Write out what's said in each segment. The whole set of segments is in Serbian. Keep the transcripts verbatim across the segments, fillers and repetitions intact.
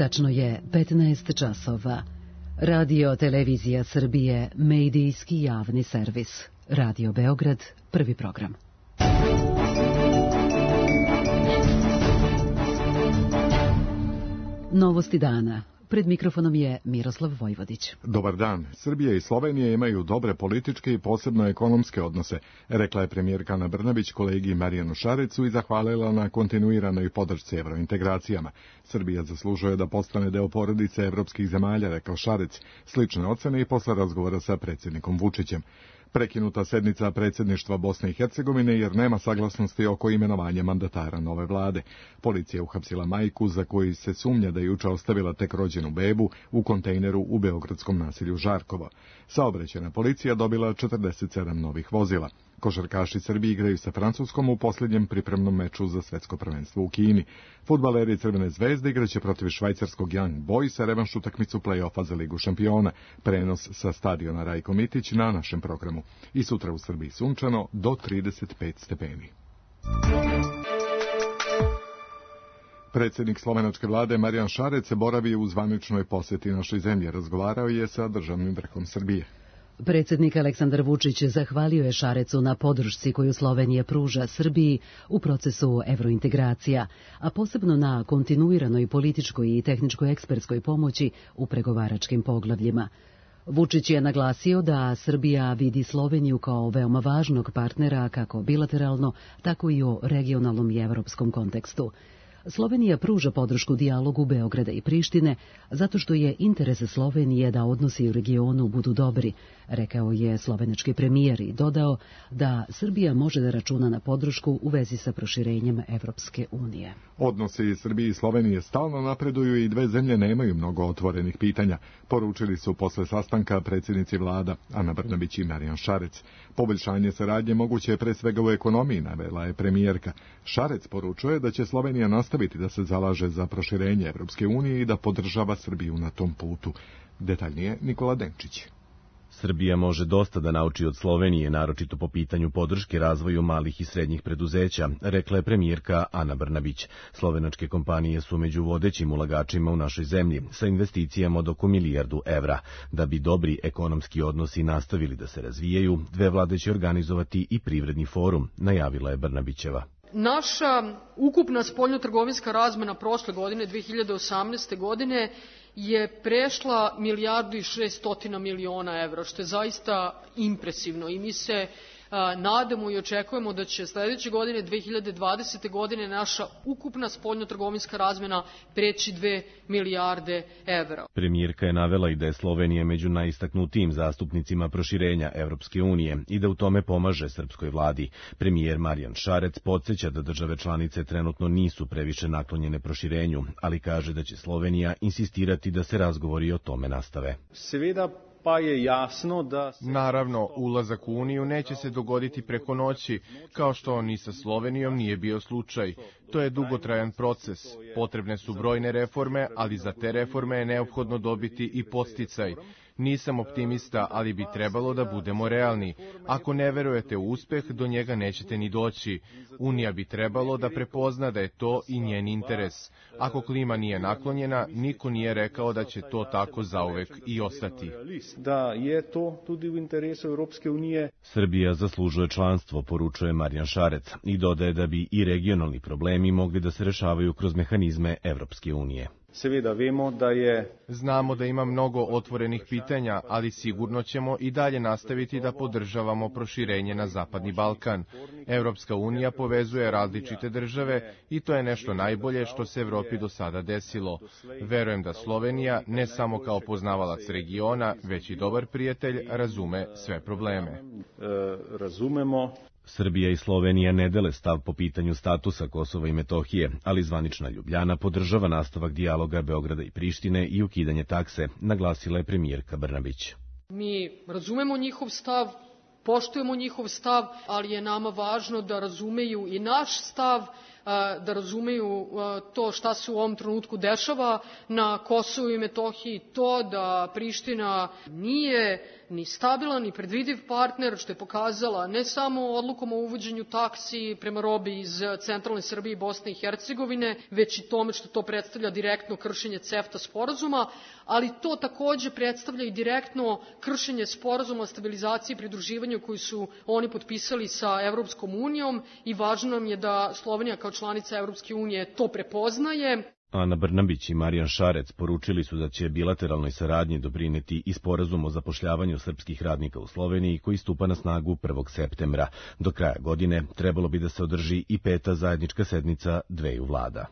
Tačno je petnaest časova. Radio Televizija Srbije, medijski javni servis. Radio Beograd, prvi program. Novosti dana. Pred mikrofonom je Miroslav Vojvodić. Dobar dan. Srbija i Slovenija imaju dobre političke i posebno ekonomske odnose, rekla je premijerka Ana Brnabić kolegi Marijanu Šarecu i zahvalila na kontinuiranoj podršci evrointegracijama. Srbija zaslužuje da postane deo porodice evropskih zemalja, rekao Šarec, slične ocene i posle razgovora sa predsjednikom Vučićem. Prekinuta sednica predsjedništva Bosne i Hercegovine jer nema saglasnosti oko imenovanja mandatara nove vlade. Policija uhapsila majku za koju se sumnja da je juče ostavila tek rođenu bebu u kontejneru u beogradskom naselju Žarkovo. Saobraćajna policija dobila četrdeset sedam novih vozila. Košarkaši Srbije igraju sa Francuskom u posljednjem pripremnom meču za svetsko prvenstvo u Kini. Fudbaleri Crvene zvezde igraće protiv švajcarskog Young Boysa revanš utakmicu play-offa za Ligu šampiona. Prenos sa stadiona Rajko Mitić na našem programu. I sutra u Srbiji sunčano do trideset pet stepeni. Predsjednik slovenačke vlade Marijan Šarec se boravi u zvaničnoj posjeti našoj zemlji. Razgovarao je sa državnim vrhom Srbije. Predsjednik Aleksandar Vučić zahvalio je Šarecu na podršci koju Slovenija pruža Srbiji u procesu evrointegracija, a posebno na kontinuiranoj političkoj i tehničkoj ekspertskoj pomoći u pregovaračkim poglavljima. Vučić je naglasio da Srbija vidi Sloveniju kao veoma važnog partnera kako bilateralno, tako i u regionalnom i evropskom kontekstu. Slovenija pruža podršku dijalogu Beograda i Prištine zato što je interes Slovenije da odnosi u regionu budu dobri, rekao je slovenački premijer i dodao da Srbija može da računa na podršku u vezi sa proširenjem Evropske unije. Odnosi Srbije i Slovenije stalno napreduju i dve zemlje nemaju mnogo otvorenih pitanja, poručili su posle sastanka predsjednici vlada Ana Brnabić i Marijan Šarec. Poboljšanje saradnje moguće je pre svega u ekonomiji, navela je premijerka. Šarec poručuje da će Slovenija nastaviti da se zalaže za proširenje Evropske unije i da podržava Srbiju na tom putu. Detaljnije Nikola Denčić. Srbija može dosta da nauči od Slovenije, naročito po pitanju podrške razvoju malih i srednjih preduzeća, rekla je premijerka Ana Brnabić. Slovenačke kompanije su među vodećim ulagačima u našoj zemlji, sa investicijama od oko milijardu evra. Da bi dobri ekonomski odnosi nastavili da se razvijaju, dve vlade će organizovati i privredni forum, najavila je Brnabićeva. Naša ukupna spoljnotrgovinska razmena prošle godine, dve hiljade osamnaeste. godine, je prešla milijardu i šestotina miliona evra, što je zaista impresivno i mi se a, nadamo i očekujemo da će sljedeće godine, dve hiljade dvadesete. godine, naša ukupna spoljnotrgovinska razmena preći dve milijarde evra. Premijerka je navela i da je Slovenija među najistaknutijim zastupnicima proširenja Evropske unije i da u tome pomaže srpskoj vladi. Premijer Marijan Šarec podsjeća da države članice trenutno nisu previše naklonjene proširenju, ali kaže da će Slovenija insistirati da se razgovori o tome nastave. Seveda pa je jasno da... Se... Naravno, ulazak u Uniju neće se dogoditi preko noći, kao što ni sa Slovenijom nije bio slučaj. To je dugotrajan proces. Potrebne su brojne reforme, ali za te reforme je neophodno dobiti i podsticaj. Nisam optimista, ali bi trebalo da budemo realni. Ako ne verujete u uspeh, do njega nećete ni doći. Unija bi trebalo da prepozna da je to i njen interes. Ako klima nije naklonjena, niko nije rekao da će to tako zauvek i ostati. Da je to tudi u interesu Evropske unije. Srbija zaslužuje članstvo, poručuje Marijan Šarec i dodaje da bi i regionalni problemi mogli da se rešavaju kroz mehanizme Evropske unije. Seveda vemo da je... Znamo da ima mnogo otvorenih pitanja, ali sigurno ćemo i dalje nastaviti da podržavamo proširenje na Zapadni Balkan. Evropska unija povezuje različite države i to je nešto najbolje što se Evropi do sada desilo. Verujem da Slovenija, ne samo kao poznavalac regiona, već i dobar prijatelj, razume sve probleme. E, razumemo... Srbija i Slovenija ne dele stav po pitanju statusa Kosova i Metohije, ali zvanična Ljubljana podržava nastavak dijaloga Beograda i Prištine i ukidanje takse, naglasila je premijerka Brnabić. Mi razumemo njihov stav, poštujemo njihov stav, ali je nama važno da razumeju i naš stav, da razumeju to šta se u ovom trenutku dešava na Kosovu i Metohiji, to da Priština nije ni stabilan ni predvidiv partner, što je pokazala ne samo odlukom o uvođenju taksi prema robi iz centralne Srbije i Bosne i Hercegovine, već i tome što to predstavlja direktno kršenje CEFTA sporazuma, ali to takođe predstavlja i direktno kršenje sporazuma o stabilizaciji i pridruživanju koji su oni potpisali sa Evropskom unijom i važno nam je da Slovenija kao članica Evropske unije to prepoznaje. Ana Brnabić i Marijan Šarec poručili su da će bilateralnoj saradnji doprineti i sporazum o zapošljavanju srpskih radnika u Sloveniji koji stupa na snagu prvog septembra. Do kraja godine trebalo bi da se održi i peta zajednička sednica dveju vlada.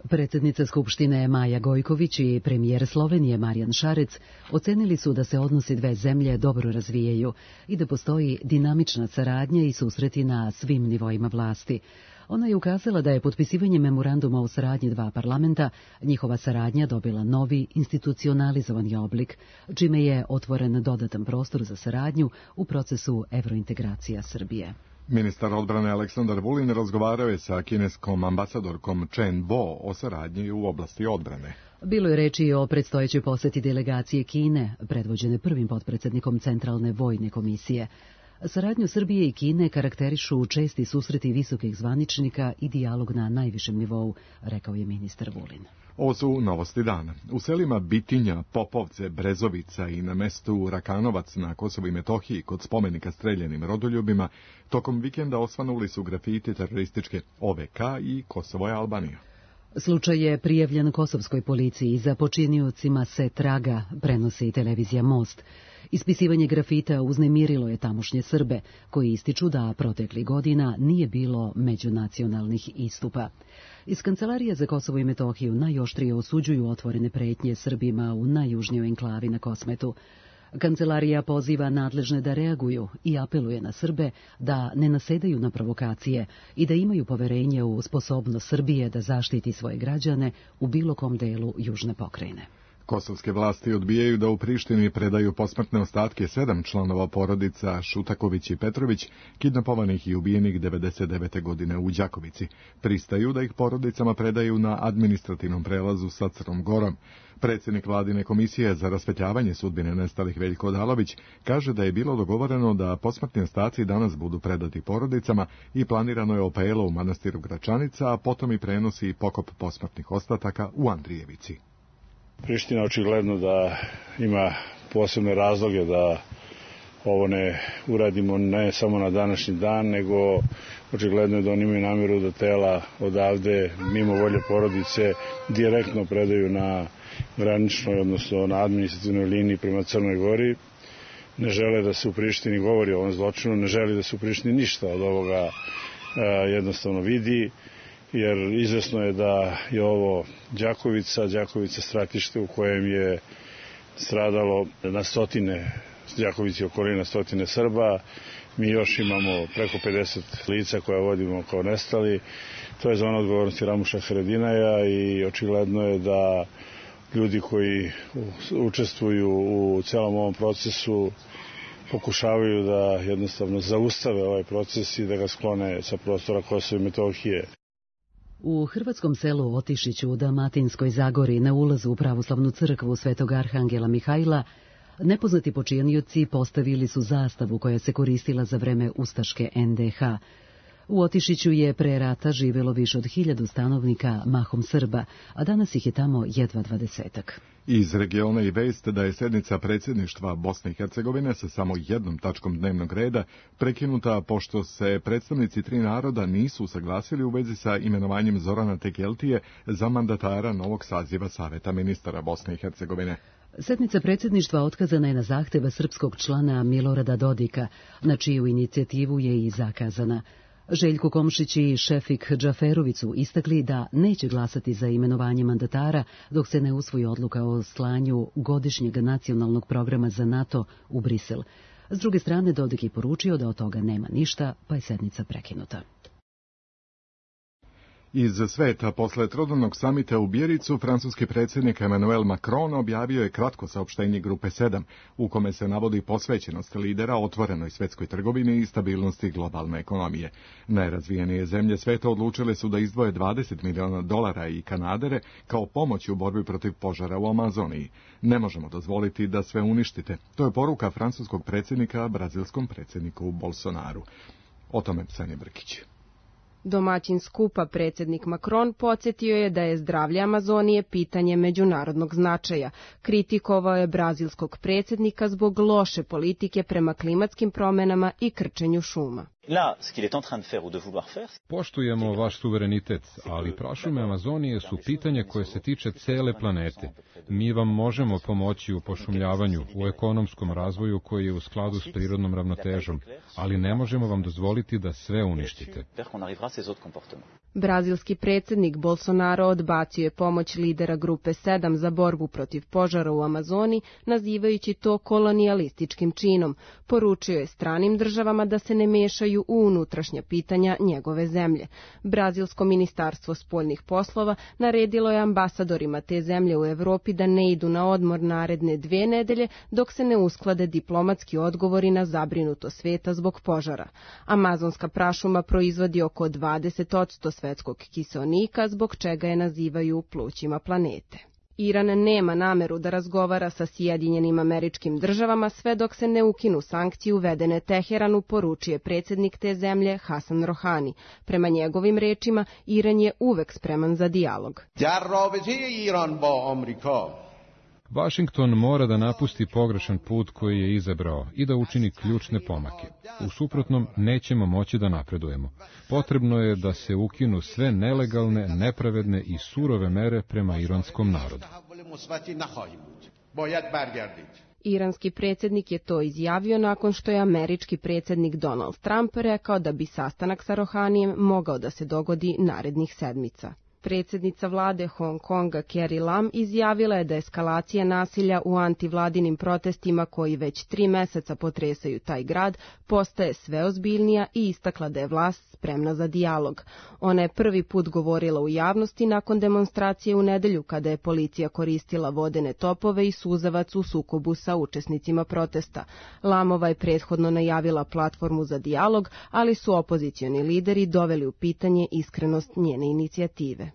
Predsjednica Skupštine Maja Gojković i premijer Slovenije Marijan Šarec ocenili su da se odnosi dve zemlje dobro razvijaju i da postoji dinamična saradnja i susreti na svim nivoima vlasti. Ona je ukazala da je potpisivanje memoranduma o saradnji dva parlamenta njihova saradnja dobila novi institucionalizovani oblik, čime je otvoren dodatan prostor za saradnju u procesu evrointegracija Srbije. Ministar odbrane Aleksandar Vulin razgovarao je sa kineskom ambasadorkom Chen Bo o saradnji u oblasti odbrane. Bilo je reči o predstojećoj poseti delegacije Kine, predvođene prvim potpredsjednikom Centralne vojne komisije. Saradnju Srbije i Kine karakterišu česti susreti visokih zvaničnika i dijalog na najvišem nivou, rekao je ministar Vulin. Ovo su novosti dana. U selima Bitinja, Popovce, Brezovica i na mestu Rakanovac na Kosovu i Metohiji kod spomenika streljanim rodoljubima tokom vikenda osvanuli su grafiti terorističke O V K i Kosovo je Albanija. Slučaj je prijavljen kosovskoj policiji, za počiniocima se traga, prenosi televizija Most. Ispisivanje grafita uznemirilo je tamošnje Srbe, koji ističu da proteklih godina nije bilo međunacionalnih istupa. Iz Kancelarije za Kosovo i Metohiju najoštrije osuđuju otvorene pretnje Srbima u najjužnijoj enklavi na Kosmetu. Kancelarija poziva nadležne da reaguju i apeluje na Srbe da ne nasedaju na provokacije i da imaju poverenje u sposobnost Srbije da zaštiti svoje građane u bilo kom delu južne pokrajine. Kosovske vlasti odbijaju da u Prištini predaju posmrtne ostatke sedam članova porodica Šutaković i Petrović, kidnapovanih i ubijenih devedeset devete godine u Đakovici. Pristaju da ih porodicama predaju na administrativnom prelazu sa Crnom Gorom. Predsjednik vladine komisije za rasvetljavanje sudbine nestalih Veljko Odalović kaže da je bilo dogovoreno da posmrtni ostaci danas budu predati porodicama i planirano je opelo u manastiru Gračanica, a potom i prenosi i pokop posmrtnih ostataka u Andrijevici. Priština očigledno da ima posebne razloge da ovo ne uradimo ne samo na današnji dan, nego očigledno je da oni imaju namjeru da tela odavde, mimo volje porodice, direktno predaju na graničnoj, odnosno na administrativnoj liniji prema Crnoj Gori. Ne žele da se u Prištini govori o ovom zločinu, ne želi da se u Prištini ništa od ovoga e, jednostavno vidi, jer izvesno je da je ovo Đakovica, Đakovica stratište u kojem je stradalo na stotine, Đakovici okolina stotine Srba. Mi još imamo preko pedeset lica koja vodimo kao nestali. To je zona odgovornosti Ramuša Haradinaja i očigledno je da ljudi koji učestvuju u celom ovom procesu pokušavaju da jednostavno zaustave ovaj proces i da ga sklone sa prostora Kosova i Metohije. U hrvatskom selu Otišiću u Dalmatinskoj Zagori na ulazu u pravoslavnu crkvu Svetog Arhangela Mihajla nepoznati počinioci postavili su zastavu koja se koristila za vreme ustaške en de ha. U Otišiću je pre rata živjelo više od hiljadu stanovnika, mahom Srba, a danas ih je tamo jedva dvadesetak. Iz regiona i vest da je sednica predsjedništva Bosne i Hercegovine sa samo jednom tačkom dnevnog reda prekinuta pošto se predstavnici tri naroda nisu usaglasili u vezi sa imenovanjem Zorana Tekeltije za mandatara novog saziva Saveta ministara Bosne i Hercegovine. Sednica predsjedništva otkazana je na zahtjeva srpskog člana Milorada Dodika, na čiju inicijativu je i zakazana. Željko Komšić i Šefik Džaferović su istakli da neće glasati za imenovanje mandatara dok se ne usvoji odluka o slanju godišnjeg nacionalnog programa za NATO u Brisel. S druge strane, Dodik je poručio da od toga nema ništa, pa je sednica prekinuta. Iz sveta, posle trodnevnog samita u Bijericu, francuski predsjednik Emmanuel Macron objavio je kratko saopštenje Grupe sedam, u kome se navodi posvećenost lidera otvorenoj svetskoj trgovini i stabilnosti globalne ekonomije. Najrazvijenije zemlje sveta odlučile su da izdvoje dvadeset miliona dolara i kanadere kao pomoć u borbi protiv požara u Amazoniji. Ne možemo dozvoliti da sve uništite. To je poruka francuskog predsjednika brazilskom predsjedniku Bolsonaru. O tome Sanja Brkić. Domaćin skupa predsjednik Macron podsjetio je da je zdravlje Amazonije pitanje međunarodnog značaja. Kritikovao je brazilskog predsjednika zbog loše politike prema klimatskim promjenama i krčenju šuma. Poštujemo vaš suverenitet, ali prašume Amazonije su pitanje koje se tiče cele planete. Mi vam možemo pomoći u pošumljavanju, u ekonomskom razvoju koji je u skladu s prirodnom ravnotežom, ali ne možemo vam dozvoliti da sve uništite. Brazilski predsjednik Bolsonaro odbacio je pomoć lidera Grupe sedam za borbu protiv požara u Amazoni, nazivajući to kolonijalističkim činom. Poručio je stranim državama da se ne mešaju u unutrašnja pitanja njegove zemlje. Brazilsko ministarstvo spoljnih poslova naredilo je ambasadorima te zemlje u Evropi da ne idu na odmor naredne dve nedelje dok se ne usklade diplomatski odgovori na zabrinuto sveta zbog požara. Amazonska prašuma proizvodi oko dvadeset posto svetskog kiseonika, zbog čega je nazivaju plućima planete. Iran nema nameru da razgovara sa Sjedinjenim Američkim Državama sve dok se ne ukinu sankcije uvedene Teheranu, poručuje predsjednik te zemlje Hasan Rohani. Prema njegovim rečima, Iran je uvek spreman za dijalog. Vašington mora da napusti pogrešan put koji je izabrao i da učini ključne pomake. U suprotnom, nećemo moći da napredujemo. Potrebno je da se ukinu sve nelegalne, nepravedne i surove mere prema iranskom narodu. Iranski predsjednik je to izjavio nakon što je američki predsjednik Donald Trump rekao da bi sastanak sa Rohanijem mogao da se dogodi narednih sedmica. Predsjednica vlade Hong Konga Carrie Lam izjavila je da eskalacija nasilja u antivladinim protestima koji već tri meseca potresaju taj grad postaje sve ozbiljnija i istakla da je vlast spremna za dijalog. Ona je prvi put govorila u javnosti nakon demonstracije u nedelju kada je policija koristila vodene topove i suzavac u sukobu sa učesnicima protesta. Lamova je prethodno najavila platformu za dijalog, ali su opozicioni lideri doveli u pitanje iskrenost njene inicijative.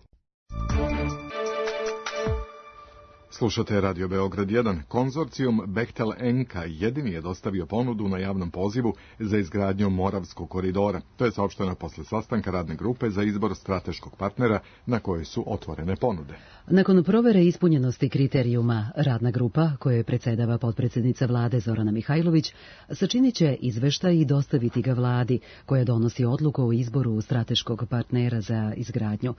Slušate Radio Beograd jedan. Konzorcijum Bechtel Enka jedini je dostavio ponudu na javnom pozivu za izgradnju Moravskog koridora. To je saopšteno posle sastanka radne grupe za izbor strateškog partnera na kojoj su otvorene ponude. Nakon provere ispunjenosti kriterijuma, radna grupa, kojoj predsedava potpredsjednica vlade Zorana Mihajlović, sačinit će izveštaj i dostaviti ga vladi, koja donosi odluku o izboru strateškog partnera za izgradnju.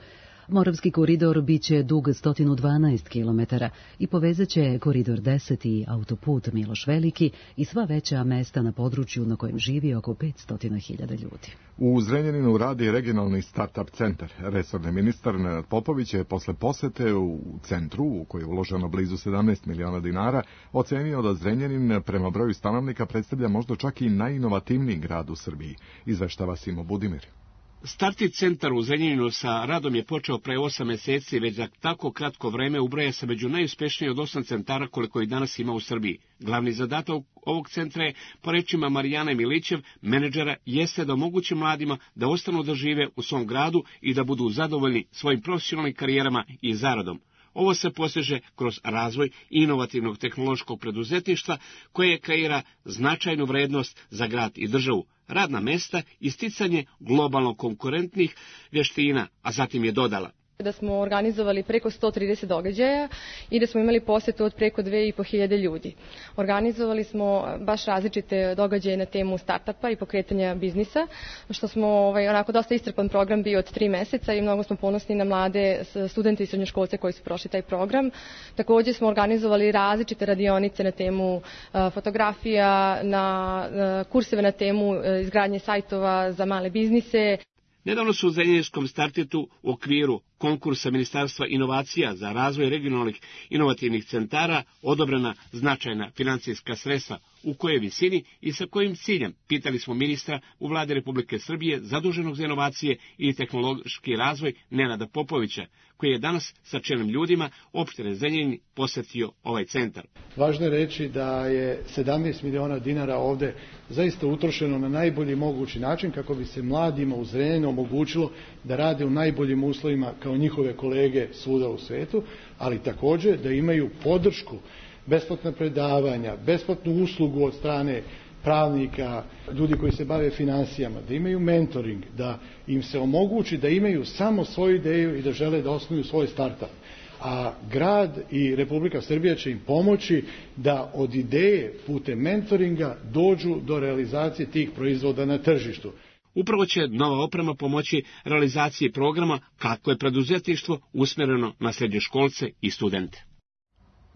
Moravski koridor biće dug sto dvanaest kilometara i povezat će koridor deset i autoput Miloš Veliki i sva veća mesta na području na kojem živi oko petsto hiljada ljudi. U Zrenjaninu radi regionalni start-up centar. Resorni ministar Nenad Popović je posle posete u centru, u koji je uloženo blizu sedamnaest miliona dinara, ocenio da Zrenjanin prema broju stanovnika predstavlja možda čak i najinovativniji grad u Srbiji. Izveštava Simo Budimir. Startip centar u Zrenjaninu sa radom je počeo pre osam meseci, već za tako kratko vreme ubraja se među najuspešniji od osam centara koliko ih danas ima u Srbiji. Glavni zadatak ovog centra je, po rečima Marijane Milićev, menadžera, jeste da omogući mladima da ostanu da žive u svom gradu i da budu zadovoljni svojim profesionalnim karijerama i zaradom. Ovo se postiže kroz razvoj inovativnog tehnološkog preduzetništva koje kreira značajnu vrednost za grad i državu, radna mesta i sticanje globalno konkurentnih vještina, a zatim je dodala. Da smo organizovali preko sto trideset događaja i da smo imali posjetu od preko dve i po hiljade ljudi. Organizovali smo baš različite događaje na temu startupa i pokretanja biznisa, što smo ovaj, onako dosta iscrpan program bio od tri meseca i mnogo smo ponosni na mlade studente i srednjoškolce koji su prošli taj program. Također smo organizovali različite radionice na temu uh, fotografija, na uh, kurseve na temu uh, izgradnje sajtova za male biznise. Nedavno su u Zrenjaninskom startitu u okviru konkursa Ministarstva inovacija za razvoj regionalnih inovativnih centara odobrena značajna financijska sredstva u kojoj visini i sa kojim ciljem, pitali smo ministra u vladi Republike Srbije zaduženog za inovacije i tehnološki razvoj Nenada Popovića, koji je danas sa čelnim ljudima opštine Zrenjanin posetio ovaj centar. Važno je reći da je sedamnaest miliona dinara ovde zaista utrošeno na najbolji mogući način kako bi se mladima u Zrenjaninu omogućilo da rade u najboljim uslovima kao njihove kolege svuda u svetu, ali takođe da imaju podršku, besplatna predavanja, besplatnu uslugu od strane pravnika, ljudi koji se bave finansijama, da imaju mentoring, da im se omogući da imaju samo svoju ideju i da žele da osnuju svoj startup. A grad i Republika Srbija će im pomoći da od ideje putem mentoringa dođu do realizacije tih proizvoda na tržištu. Upravo će nova oprema pomoći realizaciji programa kako je preduzetništvo usmjereno na srednjoškolce i studente.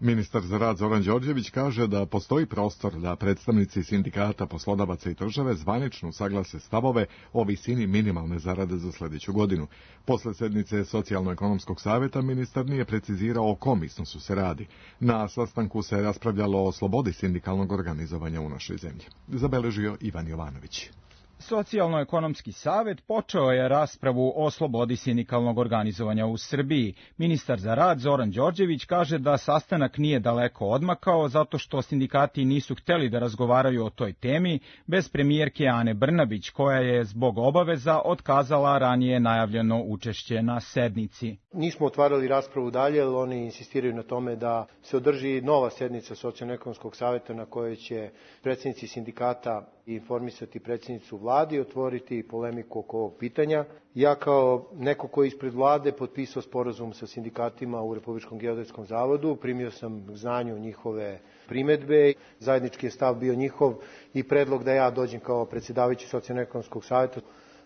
Ministar za rad Zoran Đorđević kaže da postoji prostor da predstavnici sindikata, poslodavaca i države zvanično usaglase stavove o visini minimalne zarade za sljedeću godinu. Posle sednice Socijalno-ekonomskog savjeta ministar nije precizirao o kom iznosu se radi. Na sastanku se raspravljalo o slobodi sindikalnog organizovanja u našoj zemlji. Zabeležio Ivan Jovanović. Socijalno-ekonomski savet počeo je raspravu o slobodi sindikalnog organizovanja u Srbiji. Ministar za rad Zoran Đorđević kaže da sastanak nije daleko odmakao zato što sindikati nisu hteli da razgovaraju o toj temi bez premijerke Ane Brnabić, koja je zbog obaveza otkazala ranije najavljeno učešće na sednici. Nismo otvarali raspravu dalje, jer oni insistiraju na tome da se održi nova sednica Socijalno-ekonomskog saveta na kojoj će predsjednici sindikata informisati predsjednicu vlade i otvoriti polemiku oko ovog pitanja. Ja kao neko koji je ispred vlade potpisao sporazum sa sindikatima u Republičkom geodetskom zavodu, primio sam znanju njihove primedbe, zajednički je stav bio njihov i predlog da ja dođem kao predsjedavajući Socijalno-ekonomskog saveta,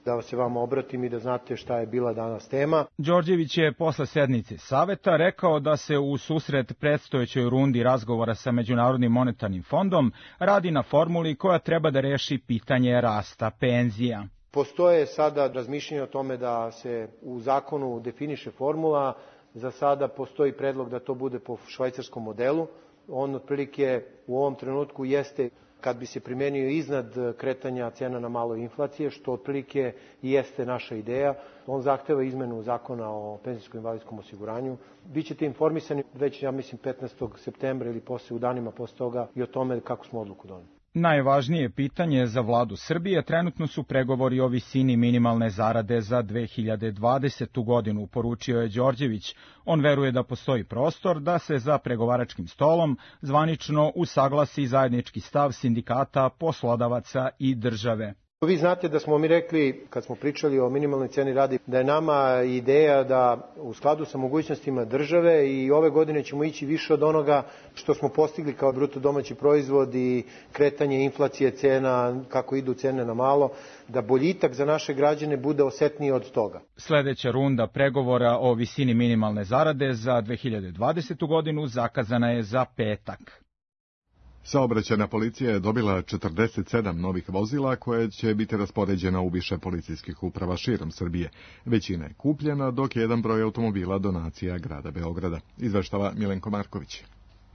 da se vam obratim i da znate šta je bila danas tema. Đorđević je posle sednice saveta rekao da se u susret predstojećoj rundi razgovora sa Međunarodnim monetarnim fondom radi na formuli koja treba da reši pitanje rasta penzija. Postoje sada razmišljanje o tome da se u zakonu definiše formula. Za sada postoji predlog da to bude po švajcarskom modelu. On otprilike u ovom trenutku jeste kad bi se primenio iznad kretanja cena na malo inflacije, što otprilike i jeste naša ideja. On zahteva izmenu zakona o penzijskom i invalidskom osiguranju. Bićete informisani već, ja mislim, petnaestog septembra ili posle, u danima posle toga, i o tome kako smo odluku doneli. Najvažnije pitanje za vladu Srbije trenutno su pregovori o visini minimalne zarade za dve hiljade dvadesetu. godinu, poručio je Đorđević. On veruje da postoji prostor da se za pregovaračkim stolom zvanično usaglasi zajednički stav sindikata, poslodavaca i države. Vi znate da smo mi rekli, kad smo pričali o minimalnoj ceni rada, da je nama ideja da u skladu sa mogućnostima države i ove godine ćemo ići više od onoga što smo postigli kao bruto domaći proizvod i kretanje inflacije cena, kako idu cene na malo, da boljitak za naše građane bude osetniji od toga. Sljedeća runda pregovora o visini minimalne zarade za dve hiljade dvadesetu. godinu zakazana je za petak. Saobraćajna policija je dobila četrdeset sedam novih vozila koje će biti raspoređena u više policijskih uprava širom Srbije. Većina je kupljena, dok je jedan broj automobila donacija grada Beograda. Izveštava Milenko Marković.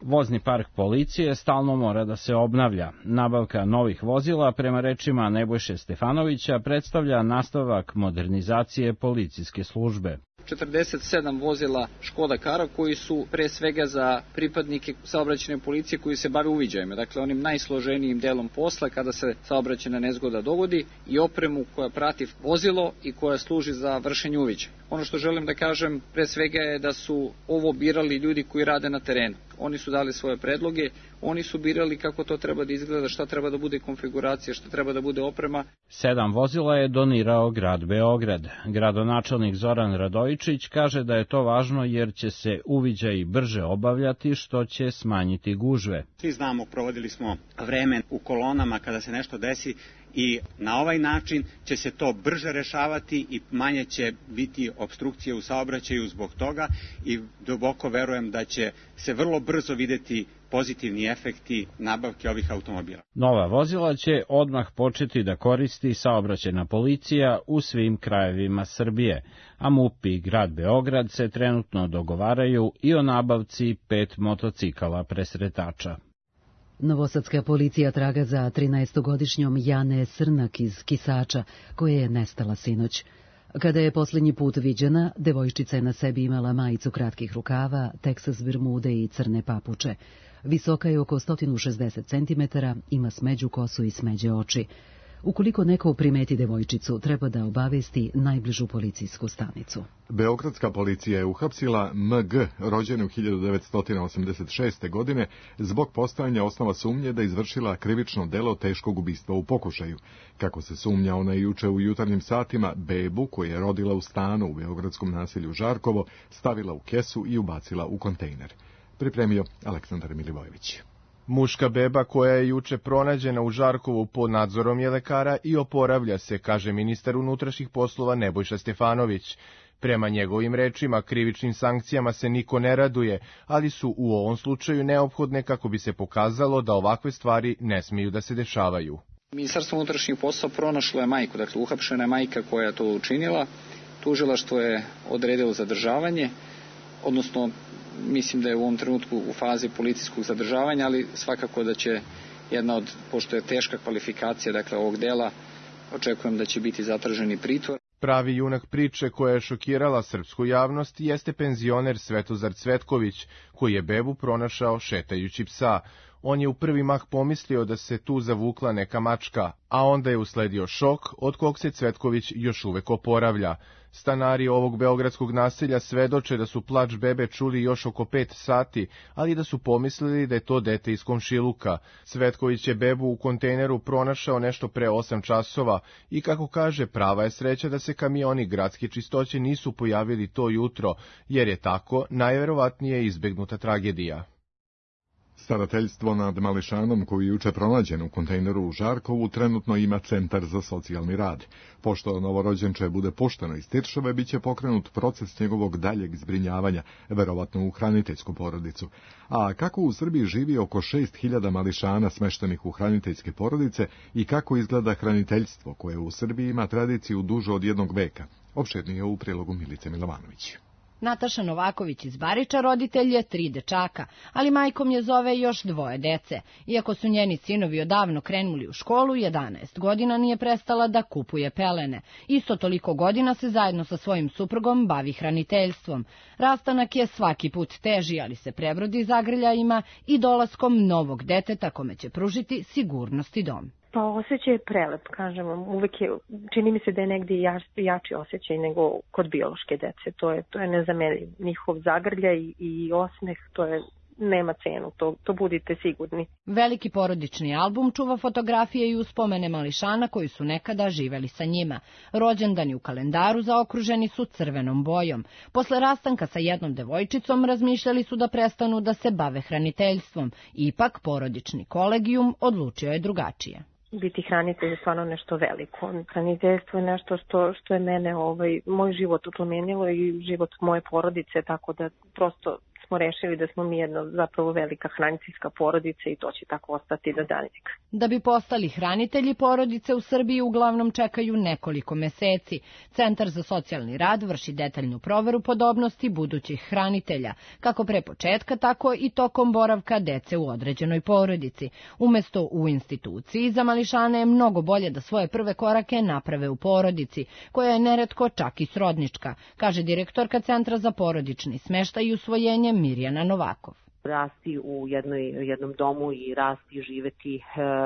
Vozni park policije stalno mora da se obnavlja. Nabavka novih vozila, prema rečima Nebojše Stefanovića, predstavlja nastavak modernizacije policijske službe. četrdeset sedam vozila Škoda Kara koji su pre svega za pripadnike saobraćajne policije koji se bave uviđajima, dakle onim najsloženijim delom posla kada se saobraćajna nezgoda dogodi, i opremu koja prati vozilo i koja služi za vršenje uviđaja. Ono što želim da kažem pre svega je da su ovo birali ljudi koji rade na terenu. Oni su dali svoje predloge, oni su birali kako to treba da izgleda, šta treba da bude konfiguracija, šta treba da bude oprema. Sedam vozila je donirao grad Beograd. Gradonačelnik Zoran Radojičić kaže da je to važno jer će se uviđaji brže obavljati, što će smanjiti gužve. Svi znamo, provodili smo vreme u kolonama kada se nešto desi, i na ovaj način će se to brže rešavati i manje će biti opstrukcije u saobraćaju zbog toga, i duboko verujem da će se vrlo brzo videti pozitivni efekti nabavke ovih automobila. Nova vozila će odmah početi da koristi saobraćajna policija u svim krajevima Srbije, a MUP i grad Beograd se trenutno dogovaraju i o nabavci pet motocikala presretača. Novosadska policija traga za trinaestogodišnjom Jane Srnak iz Kisača, koja je nestala sinoć. Kada je posljednji put viđena, devojčica je na sebi imala majicu kratkih rukava, teksas bermude i crne papuče. Visoka je oko sto šezdeset centimetara, ima smeđu kosu i smeđe oči. Ukoliko neko primeti devojčicu, treba da obavesti najbližu policijsku stanicu. Beogradska policija je uhapsila M G, rođenu hiljadu devetsto osamdeset šeste. godine, zbog postojanja osnova sumnje da izvršila krivično delo teškog ubistva u pokušaju. Kako se sumnja, ona je juče u jutarnjim satima bebu, koju je rodila u stanu u beogradskom naselju Žarkovo, stavila u kesu i ubacila u kontejner. Pripremio Aleksandar Milivojević. Muška beba koja je juče pronađena u Žarkovu pod nadzorom je lekara i oporavlja se, kaže ministar unutrašnjih poslova Nebojša Stefanović. Prema njegovim rečima, krivičnim sankcijama se niko ne raduje, ali su u ovom slučaju neophodne kako bi se pokazalo da ovakve stvari ne smiju da se dešavaju. Ministarstvo unutrašnjih poslova pronašlo je majku, dakle uhapšena je majka koja je to učinila. Tužilaštvo je odredilo zadržavanje, odnosno mislim da je u ovom trenutku u fazi policijskog zadržavanja, ali svakako da će jedna od, pošto je teška kvalifikacija dakle ovog dela, očekujem da će biti zatraženi pritvor. Pravi junak priče koja je šokirala srpsku javnost jeste penzioner Svetozar Cvetković, koji je bebu pronašao šetajući psa. On je u prvi mah pomislio da se tu zavukla neka mačka, a onda je usledio šok od kog se Cvetković još uvek oporavlja. Stanari ovog beogradskog naselja svedoče da su plač bebe čuli još oko pet sati, ali da su pomislili da je to dete iz komšiluka. Cvetković je bebu u kontejneru pronašao nešto pre osam časova i, kako kaže, prava je sreća da se kamioni gradske čistoće nisu pojavili to jutro, jer je tako najverovatnije izbegnuta tragedija. Starateljstvo nad mališanom koji je juče pronađen u kontejneru u Žarkovu trenutno ima centar za socijalni rad. Pošto novorođenče bude pušteno iz Tiršove, biće pokrenut proces njegovog daljeg zbrinjavanja, verovatno u hraniteljsku porodicu. A kako u Srbiji živi oko šest hiljada mališana smeštenih u hraniteljske porodice i kako izgleda hraniteljstvo koje u Srbiji ima tradiciju duže od jednog veka, opširnije u prilogu Milice Milovanović. Nataša Novaković iz Bariča roditelj je tri dečaka, ali majkom je zove još dvoje dece. Iako su njeni sinovi odavno krenuli u školu, jedanaest godina nije prestala da kupuje pelene. Isto toliko godina se zajedno sa svojim suprugom bavi hraniteljstvom. Rastanak je svaki put teži, ali se prebrodi zagrljajima i dolaskom novog deteta kome će pružiti sigurnost i dom. Pa osjećaj je prelep, kažem vam, uvek je, čini mi se da je negdje jač, jači osjećaj nego kod biološke dece, to je, to je nezamenljiv, njihov zagrljaj i, i osmeh, to je, nema cenu, to, to budite sigurni. Veliki porodični album čuva fotografije i uspomene mališana koji su nekada živeli sa njima. Rođendani u kalendaru zaokruženi su crvenom bojom. Posle rastanka sa jednom devojčicom razmišljali su da prestanu da se bave hraniteljstvom. Ipak porodični kolegijum odlučio je drugačije. Biti hranitelj je stvarno nešto veliko. Hraniteljstvo je nešto što, što je mene, ovaj, moj život promenilo i život moje porodice, tako da prosto smo rešili da smo mi jedna zapravo velika hraniteljska porodica i to će tako ostati do daljeg. Da bi postali hranitelji, porodice u Srbiji uglavnom čekaju nekoliko meseci. Centar za socijalni rad vrši detaljnu proveru podobnosti budućih hranitelja, kako pre početka, tako i tokom boravka dece u određenoj porodici. Umesto u instituciji, za mališane je mnogo bolje da svoje prve korake naprave u porodici, koja je neretko čak i srodnička, kaže direktorka Centra za porodični smeštaj i usvojenje Mirjana Novakov. Rasti u jednoj, jednom domu i rasti i živeti e,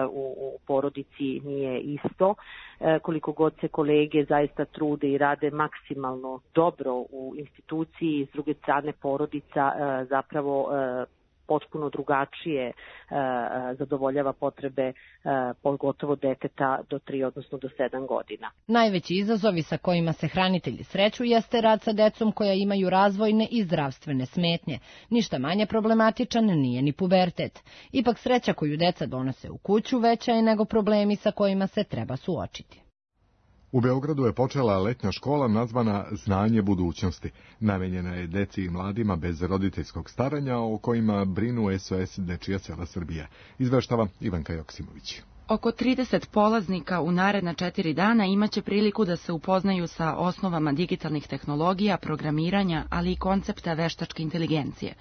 u, u porodici nije isto. E, koliko god se kolege zaista trude i rade maksimalno dobro u instituciji, s druge strane porodica e, zapravo e, potpuno drugačije e, zadovoljava potrebe e, pogotovo deteta do tri, odnosno do sedam godina. Najveći izazovi sa kojima se hranitelji sreću jeste rad sa decom koja imaju razvojne i zdravstvene smetnje. Ništa manje problematičan nije ni pubertet. Ipak sreća koju deca donose u kuću veća je nego problemi sa kojima se treba suočiti. U Beogradu je počela letnja škola nazvana Znanje budućnosti. Namenjena je deci i mladima bez roditeljskog staranja o kojima brinu S O S Dečija sela Srbija. Izveštava Ivanka Joksimović. Oko trideset polaznika u naredna četiri dana imaće priliku da se upoznaju sa osnovama digitalnih tehnologija, programiranja, ali i koncepta veštačke inteligencije.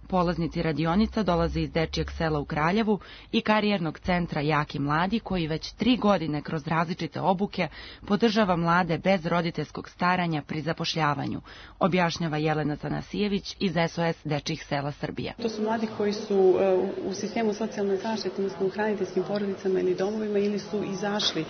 Polaznici radionica dolaze iz Dečijeg sela u Kraljevu i karijernog centra Jaki mladi, koji već tri godine kroz različite obuke podržava mlade bez roditeljskog staranja pri zapošljavanju, objašnjava Jelena Tanasijević iz S O S Dečijih sela Srbije. To su mladi koji su u sistemu socijalne zaštite, odnosno u hraniteljskim porodicama ili domovima, ili su izašli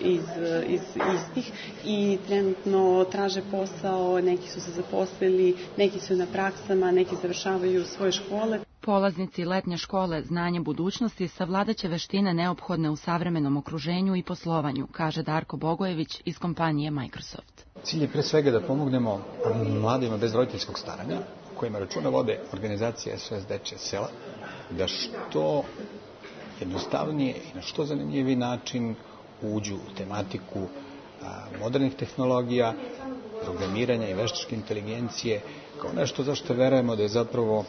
iz, iz istih i trenutno traže posao, neki su se zaposlili, neki su na praksama, neki završavaju svoje škole. Polaznici letnje škole Znanje budućnosti savladaće veštine neophodne u savremenom okruženju i poslovanju, kaže Darko Bogojević iz kompanije Microsoft. Cilj je pre svega da pomognemo mladima bez roditeljskog staranja, kojima računa vode organizacije S O S Dečije sela, da što jednostavnije i na što zanimljiviji način uđu u tematiku modernih tehnologija, programiranja i veštačke inteligencije, kao nešto za što verujemo da je zapravo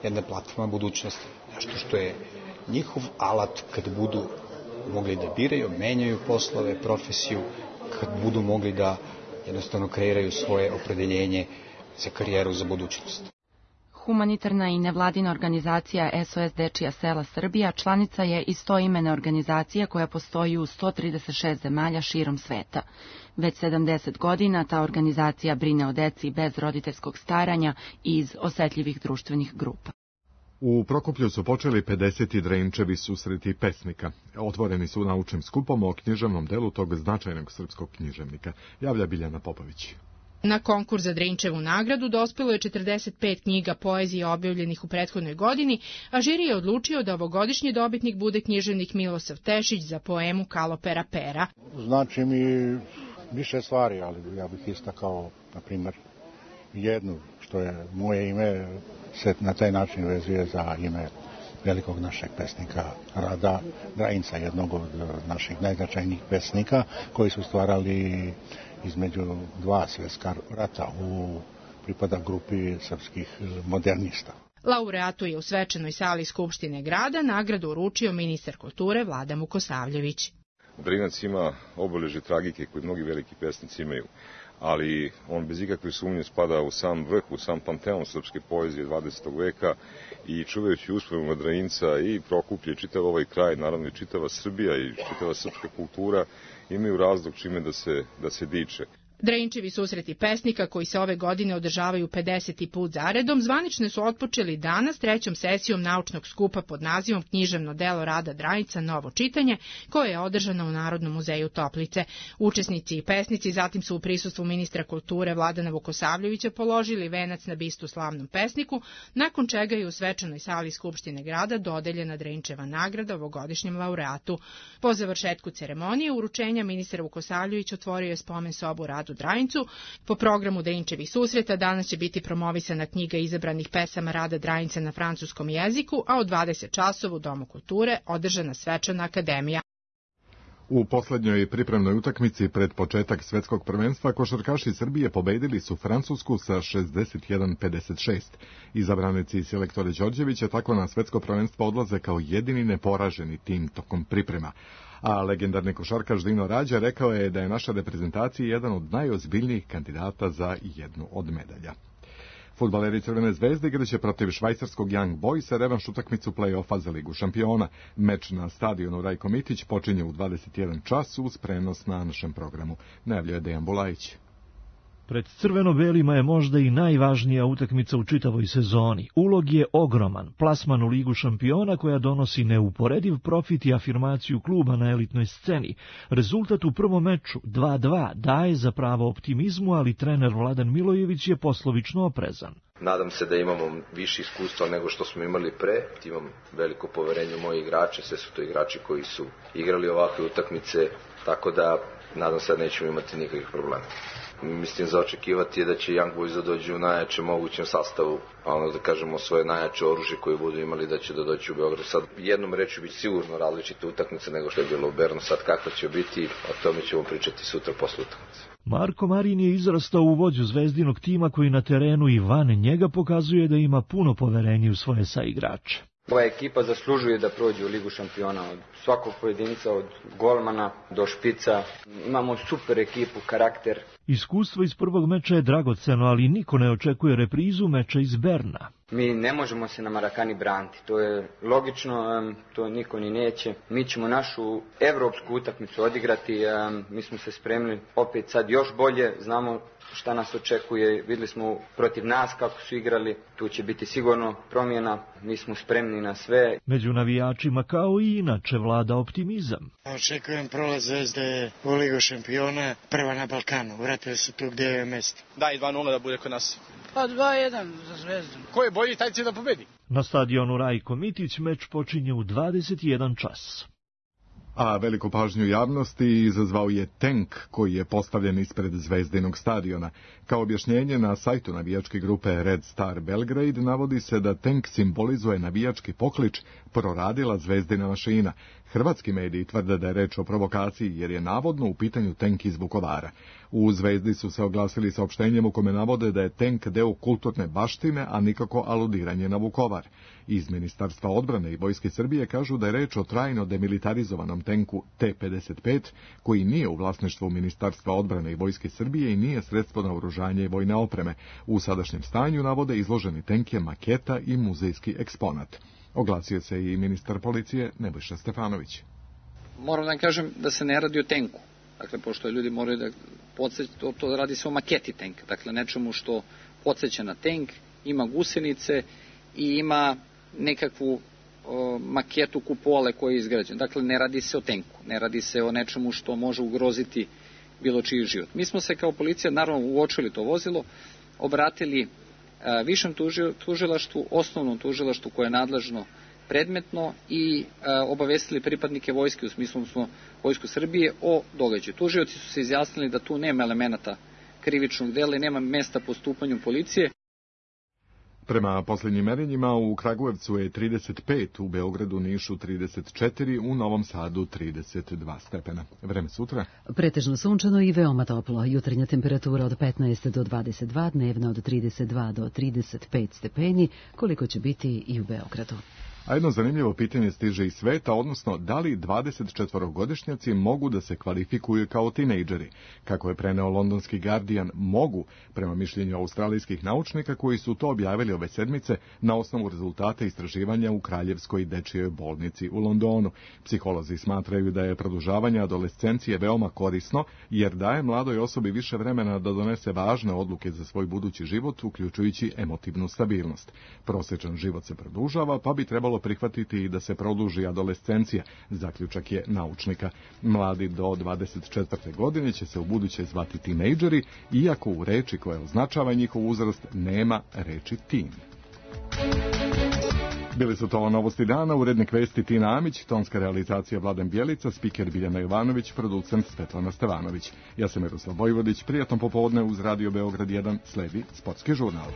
jedna platforma budućnosti. Nešto što je njihov alat kad budu mogli da biraju, menjaju poslove, profesiju, kad budu mogli da jednostavno kreiraju svoje opredeljenje za karijeru za budućnost. Humanitarna i nevladina organizacija S O S Dečija sela Srbija članica je istoimene organizacije koja postoji u sto trideset šest zemalja širom sveta. Već sedamdeset godina ta organizacija brine o deci bez roditeljskog staranja i iz osetljivih društvenih grupa. U Prokuplju su počeli pedeseti Drenčevi susreti pesnika. Otvoreni su naučnim skupom o književnom delu tog značajnog srpskog književnika, javlja Biljana Popović. Na konkurs za Drenčevu nagradu dospelo je četrdeset pet knjiga poezije objavljenih u prethodnoj godini, a žiri je odlučio da ovogodišnji dobitnik bude književnik Milosav Tešić za poemu Kalopera Pera. Znači mi više stvari, ali ja bih istakao, na primjer, jednu, što je moje ime, se na taj način vezuje za ime velikog našeg pesnika Rada Drajinca, jednog od naših najznačajnijih pesnika, koji su stvarali između dva svjetska rata, u pripada grupi srpskih modernista. Laureatu je u svečanoj sali Skupštine grada nagradu uručio ministar kulture Vladan Vukosavljević. Drinac ima obeležje tragike koje mnogi veliki pesnici imaju, ali on bez ikakve sumnje spada u sam vrh, u sam panteon srpske poezije dvadesetog veka i čuvajući uspomenu Drajinca i Prokuplje, čitav ovaj kraj, naravno i čitava Srbija i čitava srpska kultura imaju razlog čime da se, da se diče. Drenčevi susreti pesnika, koji se ove godine održavaju pedeseti put zaredom, zvanično su otpočeli danas trećom sesijom naučnog skupa pod nazivom Književno delo Rada Drajinca Novo čitanje, koje je održano u Narodnom muzeju Toplice. Učesnici i pesnici zatim su u prisustvu ministra kulture Vladana Vukosavljevića položili venac na bistu slavnom pesniku, nakon čega je u svečanoj sali Skupštine grada dodeljena Drenčeva nagrada ovogodišnjem laureatu. Po završetku ceremonije uručenja ministar Vukosavljević otvorio je spomen sobu Radu Drajincu. Po programu Drenčevih susreta danas će biti promovisana knjiga izabranih pesama Rada Drajinca na francuskom jeziku, a od dvadeset časova u Domu kulture održana svečana akademija. U poslednjoj pripremnoj utakmici pred početak svetskog prvenstva košarkaši Srbije pobedili su Francusku sa šezdeset jedan pedeset šest. Izabranici selektore Đorđevića tako na svetsko prvenstvo odlaze kao jedini neporaženi tim tokom priprema. A legendarni košarkaš Dino Rađa rekao je da je naša reprezentacija jedan od najozbiljnijih kandidata za jednu od medalja. Fudbaleri Crvene zvezde igraće protiv švajcarskog Young Boysa revanš utakmicu play-offa za Ligu šampiona. Meč na stadionu Rajko Mitić počinje u dvadeset jedan čas uz prenos na našem programu, najavljuje Dejan Bulajić. Pred crveno-belima je možda i najvažnija utakmica u čitavoj sezoni. Ulog je ogroman, plasman u Ligu šampiona koja donosi neuporediv profit i afirmaciju kluba na elitnoj sceni. Rezultat u prvom meču dva dva daje za pravo optimizmu, ali trener Vladan Milojević je poslovično oprezan. Nadam se da imamo više iskustva nego što smo imali pre. Imam veliko poverenje u moje igrače, sve su to igrači koji su igrali ovakve utakmice, tako da nadam se da nećemo imati nikakvih problema. Mislim, za očekivati je da će Young Boys da dođe u najjačem mogućem sastavu, a ono da kažemo svoje najjače oružje koje budu imali da će da doći u Beograd. Sad jednom reći biti sigurno različite utakmice nego što je bilo u Bernu, sad kakva će biti, o tome ćemo pričati sutra posle utakmice. Marko Marin je izrastao u vođu zvezdinog tima koji na terenu i van njega pokazuje da ima puno poverenja u svoje saigrače. Ova ekipa zaslužuje da prođe u Ligu šampiona, od svakog pojedinca, od golmana do špica. Imamo super ekipu, karakter. Iskustvo iz prvog meča je dragoceno, ali niko ne očekuje reprizu meča iz Berna. Mi ne možemo se na Marakani braniti, to je logično, to niko ni neće. Mi ćemo našu evropsku utakmicu odigrati, mi smo se spremni opet sad još bolje, znamo šta nas očekuje, videli smo protiv nas kako su igrali, tu će biti sigurno promjena, mi smo spremni na sve. Među navijačima kao i inače vlada optimizam. Očekujem prolaz Zvezde u Ligu šampiona, prva na Balkanu, vratili se tu gdje je mjesto. Da, i dva nula da bude kod nas. Pa dva jedan za Zvezdu. Ko je bolji, taj će da pobedi. Na stadionu Rajko Mitić meč počinje u dvadeset jedan čas. A veliku pažnju javnosti izazvao je tenk koji je postavljen ispred Zvezdinog stadiona. Kao objašnjenje na sajtu navijačke grupe Red Star Belgrade navodi se da tenk simbolizuje navijački poklič proradila Zvezdina mašina. Hrvatski mediji tvrde da je reč o provokaciji jer je navodno u pitanju tenk iz Vukovara. U Zvezdi su se oglasili saopštenjem u kome navode da je tenk deo kulturne baštine, a nikako aludiranje na Vukovar. Iz Ministarstva odbrane i Vojske Srbije kažu da je reč o trajno demilitarizovanom tenku T pedeset pet, koji nije u vlasništvu Ministarstva odbrane i Vojske Srbije i nije sredstvo naoružanja i vojne opreme. U sadašnjem stanju navode izloženi tenk je maketa i muzejski eksponat. Oglasio se i ministar policije Nebojša Stefanović. Moram da kažem da se ne radi o tenku. Dakle, pošto ljudi moraju da podsjeća, to, to radi se o maketi tenka. Dakle, nečemu što podsjeća na tenk, ima gusenice i ima nekakvu o, maketu kupole koja je izgrađena. Dakle, ne radi se o tenku, ne radi se o nečemu što može ugroziti bilo čiji život. Mi smo se kao policija, naravno, uočili to vozilo, obratili a, višem tužilaštvu, osnovnom tužilaštvu koje je nadležno predmetno i a, obavestili pripadnike vojske, u smislu smo Vojsku Srbije, o događaju. Tužioci su se izjasnili da tu nema elemenata krivičnog dela i nema mesta postupanju policije. Prema posljednjim merenjima u Kragujevcu je trideset pet, u Beogradu, Nišu trideset četiri, u Novom Sadu trideset dva stepena. Vreme sutra? Pretežno sunčano i veoma toplo. Jutarnja temperatura od petnaest do dvadeset dva, dnevna od trideset dva do trideset pet stepeni, koliko će biti i u Beogradu. A jedno zanimljivo pitanje stiže iz sveta, odnosno da li dvadesetčetvorogodišnjaci mogu da se kvalifikuju kao tinejdžeri. Kako je preneo londonski Guardian, mogu, prema mišljenju australijskih naučnika koji su to objavili ove sedmice na osnovu rezultata istraživanja u Kraljevskoj dečijoj bolnici u Londonu. Psiholozi smatraju da je produžavanje adolescencije veoma korisno, jer daje mladoj osobi više vremena da donese važne odluke za svoj budući život, uključujući emotivnu stabilnost. Prosječan život se produžava, pa bi trebalo prihvatiti i da se produži adolescencija, zaključak je naučnika. Mladi do dvadeset četvrte godine će se u buduće zvati tinejdžeri, iako u reči koja označava njihov uzrast nema reči teen. Bili su to novosti dana, urednik vesti Tina Amić, tonska realizacija Vladan Bjelica, spiker Biljana Jovanović, producent Svetlana Stevanović. Ja sam Miroslav Vojvodić, prijatno popodne uz Radio Beograd jedan, sledi sportski žurnal.